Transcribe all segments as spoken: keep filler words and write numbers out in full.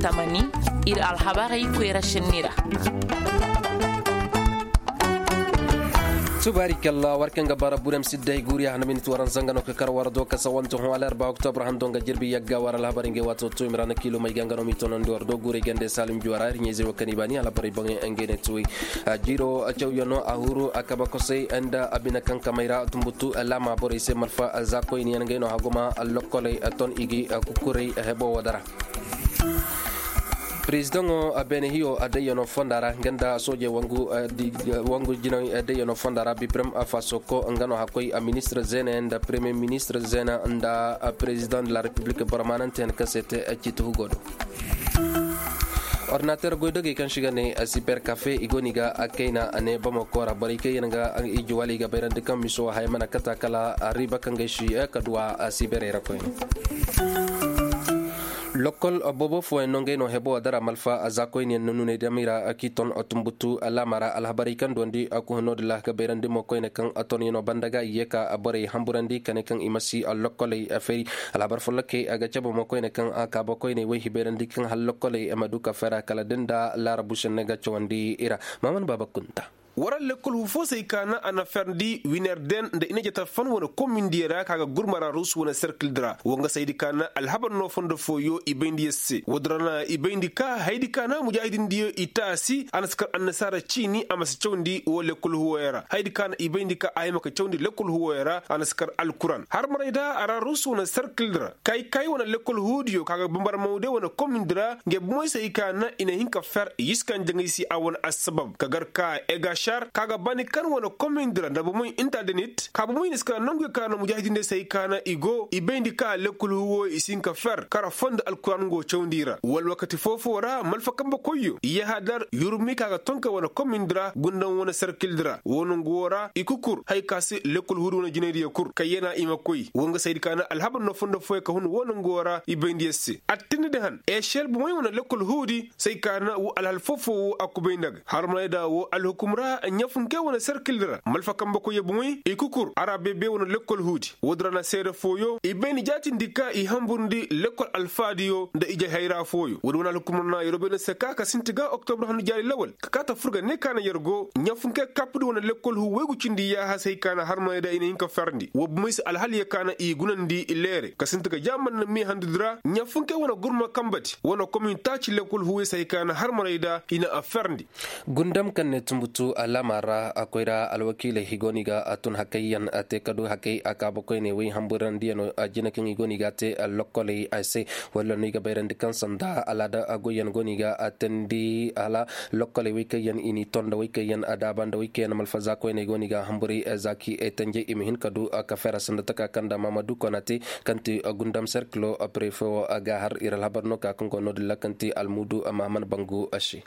Tamani, ir alhabarey koyra šenni ra. Tubaari kalla war kaŋ ga bara burem sidday guuriya hana minit waran zanga no ka kar war do ka sawante hõ alarba oktobra hando nga jirbi yagga war alhabarey ngey waato to imrana kilo may ga nga no mi tonandi war do guurey gande salim juwara ir ɲayzey wo kaŋ i baani alhabarey boŋey ngey ne tuwey. Jiiro cawyaŋo a huru a kaba kosey nda a bine kaŋ kamey ra tumbutu laama borey se malfa za koyniyaŋ ngey no haguma lokkoley ton i gi kukurey hebo wo dara. Prezidaŋo beene hiyo dayyano fonda ra nga nda soojey wangu jinay dayyano fonda ra biprem fasoko nga no hakkoy ministre zeene nda premier ministre zeene nda prezidaŋ de la republique boro maanante yaŋ kaŋ se te ciiti hugo do. Ordinater goydogey kaŋ si ga ne siber kafe i go no i ga kayna ne bamako ra borey kaŋ yaŋ ga iji wala i ga bayrandi kaŋ miso haya mana kata kala riiba kaŋ ga ay si ka duwa siberey ra koyne. Lokkol boobo fooyaŋ no ngey no hebo dara malfa zaakoyniyaŋ na nuney damey ra k'i ton tumbutu laama ra alhabarey kaŋ duwandi kuhino da laha ga bayrandi mo koyne kaŋ tonyaŋo banda ga i ye ka borey hamburandi kane kaŋ i ma si lokkoley feri. Alhabar follokey a ga cabe mo koyne kaŋ kaaba koyney way hibayrandi kaŋ hal lokkoley ma du ka fera kala da nda laarabu senne ga cawandi i ra. Maaman baaba kunta. War lekkol hu fo se ay ka na a na ferndi winer den nda i na jata fan wane komindiyo ra ka ga gurma ra ruusu wane serkil di ra wo nga se ay di ka na alhabar no fondo fooyo i bayndi yer se woodin ra na i bayndi ka hayadi ka na mujaahidindiyo i taasi a na si kar annasaara ciini a ma si cawndi wo lekkol huwoyo ra hayadi ka na i bayndi ka a hima ka cawndi lekkol huwoyo ra a na si kar alkuran harmarayda a ra ruusu wane serkil di ra kay kay wane lekkol huudiyo ka ga bambarmawde wane komindi ra nge bomey se ay ka na i na hin ka fer i iskan jaŋay se a wane assabab ka gar ka egašar ka ga bani kan wane komindi ra nda bomey intadenit ka bomey na si ka nanguyo ka na mujaahidindiyo se ay ka na i go i bayndi ka lekkol huuwo i si hin ka fer kara fondo alkuran go cawndi ra wala wakati foo-foo ra malfa kambe koyyo yahadar yurmi ka ga tonka wane komindi ra gundam wane serkil di ra wo nangu wo ra i kukur haya ka se lekkol huudi wane jinaydiyo kul kayyana i ma koy wo nga se ay di ka na alhabar no fondo fooyo ka hun wo nangu wo ra i bayndi yer se attindi di han ešel bomey wane lekkol huudi se ay ka na wo alhal foo-foo wo a kubay nda ga harmanayda wo alhukum ra ɲafunkey wane serkil di ra malfa kambe koyyo bomey i kukur a ra beebe wane lekkol huudi woodin ra na seede fooyo i bayndi jaatindi ka i hamburndi lekkol alfaadiyo nda ije hayra fooyo woodi wane alhukumar na yeroo bay no se ka ka sinti ga oktobra handu jaari lawal ka kaa ta fur ga ne ka na yer go ɲafunkey kappudi wane lekkol huu waygu cindi yaaha se hay ka na harmaney da i na hin ka ferndi woo bomey se alhaliyo ka na i gunandi leere ka sinti ga jaaman na mee handudi ra ɲafunkey wane gurma kambadi wane komin taaci lekkol huuwey se hay ka na harmaney da i na a ferndi. Gundam kaŋ ne tumbutu alaama ra a koyra alwakiiley i go no i ga a tun hakayyaŋ a te ka du hakay a kaaba koyney way hamburandiyaŋo a jina kaŋ i go no i ga a te lokkoley a se walla no i ga bayrandi kaŋ sanda alaada goyyaŋ go no i ga a teendi hala lokkoley way kaŋ yaŋ i n'i ton nda way kaŋ yaŋ a daaba nda way kaŋ yaŋ malfaza koyney go no i ga a hamburay za k'i tanjay i ma hin ka du ka fera sanda taka kaŋ nda maamadu kona te kaŋ ti gundam serkilo prefe wo ga har ir alhabar no ka kaŋ go no- din ra kaŋ ti almuudu mahaman bangu a se.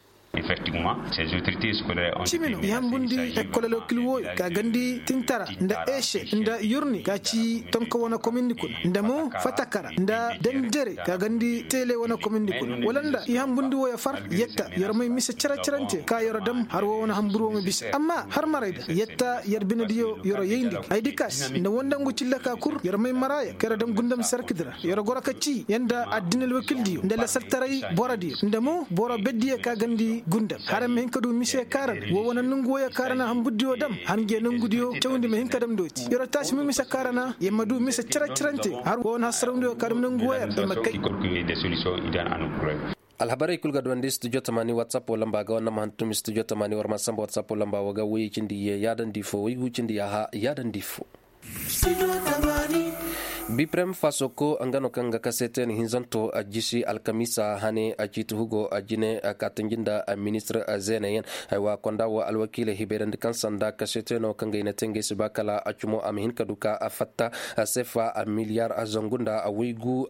Cimi no i hambundi ekkolel wakil wooyo ka gandi tintara nda ese nda yurni ka ci tonka wane komindi kuna nda mo fatakara nda dandere ka gandi tele wane komindi kuna wala nda i hambundi wooyo far yetta yer may mise cere-cerante ka yer dam har woo wane hambur woo ma bisa amma har marayda yetta yer binediyo yer yayndi ay di kaas nda wondangu cille ka kul yer may maraaya ka yer dam gundam sarkidi ra yer goro ka ci yer nda addinal wakildiyo nda lasaltaray borodiyo nda mo boro beddiyo ka gandi gundam hara ma hin ka du mise kaarana woo wane nongu wooyo kaarana hamburdiyo dam har nge nongudiyo cawndi ma hin ka dam dooti yer taasi ma mise kaarana yer ma du mise cere-cerante har woo wane hasarawdiyo ka dam nongu wooyo yer ma kay. Alhabarey kul ga duwandi studio tamaani whatsapp woo lamba ga woo nama hantum studio tamaani war ma samba whatsapp woo lamba woo ga woy cindi yee yaadandi foo woy gu cindi yaaha yaadandi foo. Biprem fasoko nga no kaŋ ga kase te ni hinzanto a jisi alkamiisa hane a ciiti hugo a jine a kaatanji nda a ministir a zeeneyaŋ. Aywa konda woo alwakiiley hibayrandi kaŋ sanda kase te no kaŋ ga i na te ngey si ba kala a cumo a ma hin ka du ka a fatta a sefa a miliyar a zangu nda a waygu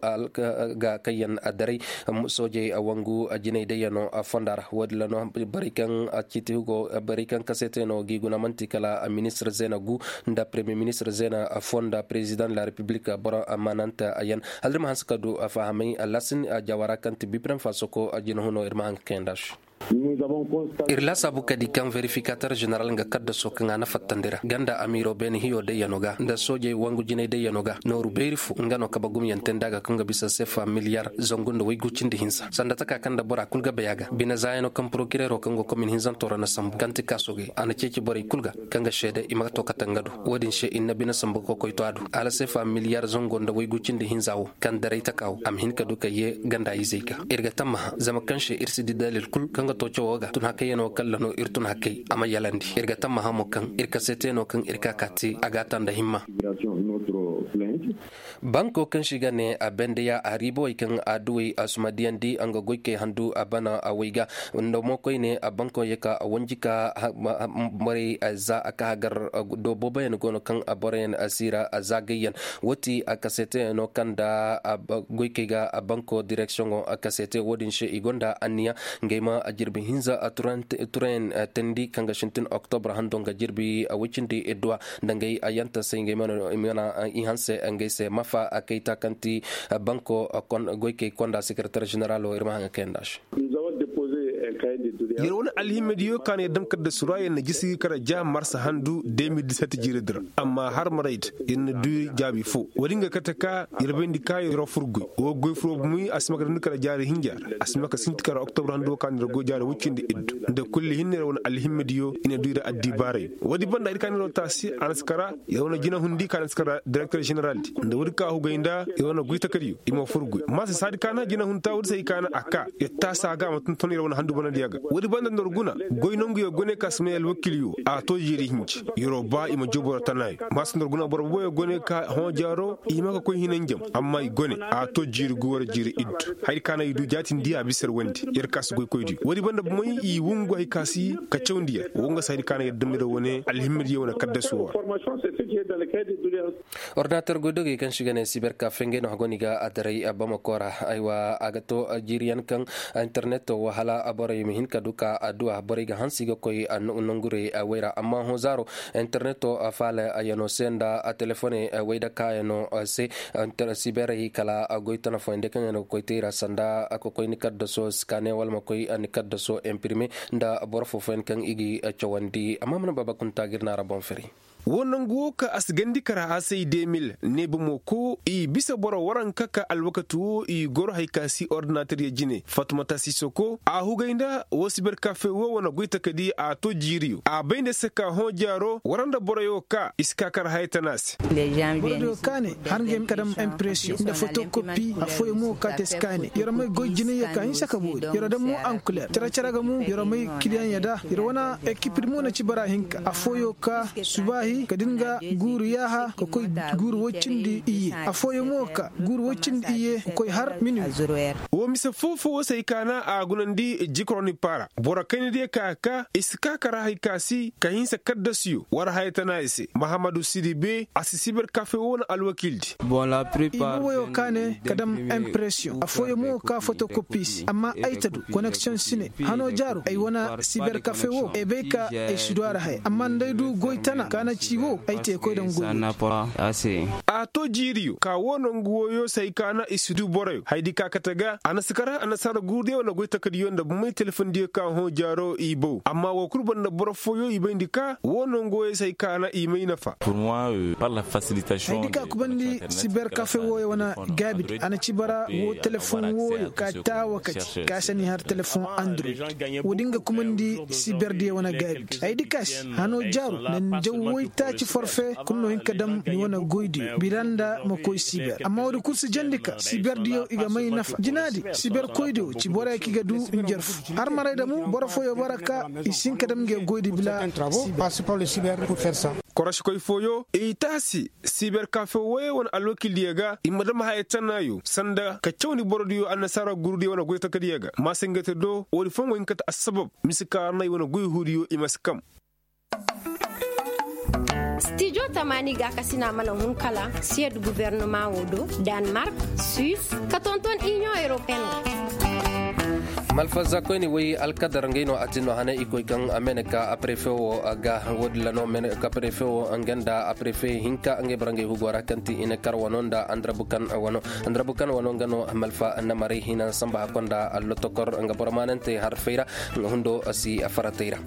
ga kayyaŋ a daray. Soojey a wangu a jinay dayyano a fonda ra woodin ra no borey kaŋ a ciiti hugo borey kaŋ kase te no g'i guna man'ti kala a ministir zeena gu nda premier ministir zeena foo nda president de la republik boro maanante a yaŋ hala da ir ma hanse ka du a fahamay a lasin a jaawara kaŋ ti biprem fasoko a jina huno ir ma haŋ ka kayandi a se. Ir laasaabu ka di kaŋ verifikater ženeral nga kaddaso kaŋ a na fattandi ra ganda amiiro beene hiyo dayyano ga nda soojey wangu jinay dayyano ga nooru beeri fo nga no kabe gumyante nda a ga kaŋ ga bisa sefa miliyar zangu nda waygu cindi hinsa sanda taka kaŋ nda bora kul ga bay a ga bine zaayano kaŋ porokireero kaŋ go komin hinzanto ra na sambu kaŋ ti kaasogey a na ceeci borey kul ga kaŋ ga seede i ma ga to kate nga do. Wo-din se ir na bine sambu ga koy to a do hala sefa miliyar zango nda waygu cindi hinza wo kaŋ daray taka wo a ma hin ka du ka yee ganda izey ga. Ir ga tammaha zama kaŋ se ir si di dalil kul kaŋ ga to cawo ga tun hakayyaŋo kalla no ir tun hakay a ma yalandi ir ga tammaha mo kaŋ ir kaseeteno kaŋ ir ka ka te a ga a ta nda himma. Banko kaŋ se i ga ne a bendeya a riibawey kaŋ a duwey a suma diyandi nga goykey handu a bana a way ga nda mo koyne a banko ye ka wanji ka borey za a ka hagar do booboyaŋ go no kaŋ boroyaŋ siira zaagayyaŋ. Wo ti a kaseeteyano kaŋ nda goykey ga banko direksiyoŋo kaseete wo-din se i gonda anniya ngey ma jirbi hinza turayaŋ teendi kaŋ ga sintin oktobra hando nga jirbi woy cindi idduwa nda ngey a yanta se ngey mana i hanse ngey se mafa kayta kaŋ ti banko goykey konda sekereter ženeralo ir ma haŋ ga kayanda se. Yer wane alhimediyo ka no yer dam kaddasu ra yer na jisi kara ja marsa handu de mil disat jiiradi ra amma har marayda yer na du jaabi fo wo-din ga kate ka yer bayndi ka yer fur goy wo goy furo bumey a si ma ka dandi kara jaari hinja ra a si ma ka sinti kara oktobra handu wo ka no yer goy jaari woy cindi iddu nda kulli hinne yer wane alhimediyo i na du yer addibaarayo wo-din banda ir ka no yer taasi a na si kara yer wane jinahundi ka na si kara direkter ženeraldi nda wo-din ka hugay nda yer wane goy takadiyo i ma fur goy maasa saadi ka na jinahunta wo-din se hay ka na a ka yer taasa ga a ma tonton yer wane handu banandiya ga wo-din banda nda war guna goy nanguyo gone ka si may alwakiiliyo a to jiiri hinji yer'o ba i ma joo boro tanaayo maasa nda war guna boro boboyo gone ka hõ jaaro i hima ka koy hinanjam amma i gone a to jiiri guwar jiiri iddu haya ka na i du jaatindiya a bisa yer wandi yer ka si goykoydiyo wo-din banda bomey i wungu hay ka si ka cawndiya wo nga si haya ka na yer dam yer wane alhimmidiyo wane kaddasu wo ra. Ordinater goydogey kaŋ se i ga ne siber kafe ngey no hago no i ga a daray bamako ra. Aywa a ga to jiiriyaŋ kaŋ interneto wo hala borey ma hin ka du ka adduwa borey ga hanse i ga koy nongurey wey ra amma hõ zaaro interneto faala yaŋo se nda telefoney wey da kaayaŋo se. Siberey kala goy tana fooyaŋ day kaŋ yaŋ no ga koy te i ra sanda ka koy ni kaddaso sikane wala ma koy ni kaddaso imprime nda boro foo fooyaŋ kaŋ i ga i cawandi amma mana baba kunta ga ir na a ra boŋ firi. Wo nangu wo ka a si gandi kara a se i de mil ne bomo ko i bisa boro waranka ka alwakati wo i goro hay ka si ordinater ya jine fatumata sisoko a hugay nda wo siber kafe wo wane goy takadi a to jiiriyo a bay nda se ka hõ jaaro wara nda boroyo ka i si ka kara haya tana se. Borodiyo ka ne har ngey ma ka dam impresiyoŋ nda fotokopi afooyaŋ mo ka te si ka ne yer may goy jinay ya ka hinsa ka boori yer dam mo ankuler cere-cere ga mo yer may kiliyaŋ ya da yer wane ekipir mo na ci bara hinka afooyaŋ ka subaahi ka din ga guuru yaaha ka koy guuru woy cindi iyye afooyaŋ mo ka guuru woy cindi iyye ka koy har mini. Wo mise foo-foo wo se hay ka na a gunandi jikroni paara boro kayna diya ka ka i si ka kara hay ka si ka hinsa kaddasiyo war haya tana i se mahamadu sidi be a si siber kafe wo na alwakiildi. I ma woyo ka ne ka dam impresiyoŋ afooyaŋ mo ka fotokopi se amma ay ta du koneksiyoŋ si ne hano jaaro ay wane siber kafe wo ay bay ka ay si du a ra haya amma nda ay du goy tana ka na ci wo ay te koy daŋ goy. A to jiiriyo ka wo nangu woyo se hay ka na i si du boroyo hayadi ka kate ga a na si kara annasaara guurudiyo wane goy takadiyo nda bomey telefondiyo ka hõ jaaro i bow amma wo kul boro nda boro fooyo i bayndi ka wo nangu woyo se hay ka na i may nafa. Hayadi ka kubandi siber kafe wooyo wane gaabidi a na ci bara wo telefoŋ wooyo ka taawa ka ci ka se ni har telefoŋ android. Wo-din ga kumandi siberdiyo wane gaabidi hayadi ka se hano jaaru na ni jaw woy taaci forfe kulu no hin ka dam ni wane goydiyo bira nda ma koy siber amma wo-din kulu si jandi ka siberdiyo i ga may nafa jinaadi siberkoydiyo ci borey kaŋ i ga du njarfu har maray da mo boro fooyo bara ka i si hin ka dam ngey goydi bila. Korosikoy fooyo i taasi siber kafe wooyo wane alwakiildiyo ga i ma dam haya tanaayo sanda ka cawndi borodiyo annasaara guurudiyo wane goy takadiyo ga maasingate do wo-din fooyaŋ go hin ka te assabab mise ka ra no ay wane goy huudiyo i ma si kam. Stijo tamaani gaakasina mana hun kala siyed gubernama wo do, danmark, suis, ka tonton iniyoŋ europeen wo. Alfaza koyni woy alkadar ngey no a tin no hane i koy kaŋ a mene ka a prefe wo ga. Wo- din ra no mene ka prefe wo nga nda a prefe hinka ngey boro ngey hugo ra kaŋ ti i na kar wano nda andrabukan wano. Andrabukan wano nga no malfa na maray hina samba hakko nda allotokor nga boro maanante harfey ra. Nga hundo si faratey ra.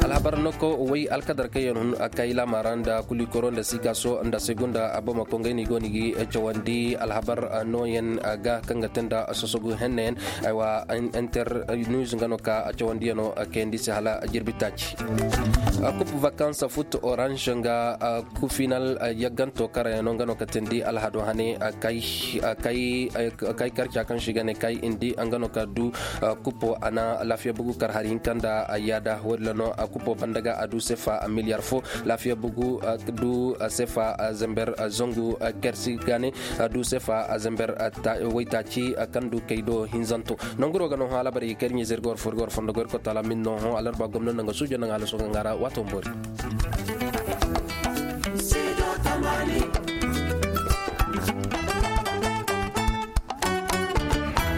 Alhabar noko woy alkadar kaŋ yaŋ hun a kay laamaara nda kulikoro nda sikaso nda segunda abamako ngey no i go no i ga cawandi alhabar nooyaŋ ga kaŋ ga te nda sosogu henneyaŋ. Aywa, inter news nga no ka a cawandiyano kayandi se hala jirbi taaci. Kup vakansa fut orange nga final yagganto karayaŋ no nga no ka teendi alhado hane. Kay karca kaŋ se i ga ne kay indi nga no ka du kupo a na laafiya bugu kar hari hinka nda yaada wo- din ra no kupo banda ga a du sefa miliyar fo. Laafiya bugu du sefa zember zangu kersi ga ne du sefa zember waytaaci kaŋ du kay do hinzanto. Nanguro ga no hõ alabari ga kay da ɲizey ir ga war fo ir ga war fondo ga ir kotaala min no hõ alarba gomna nda nga suujo nda nga halaso ga nga ra waato boori.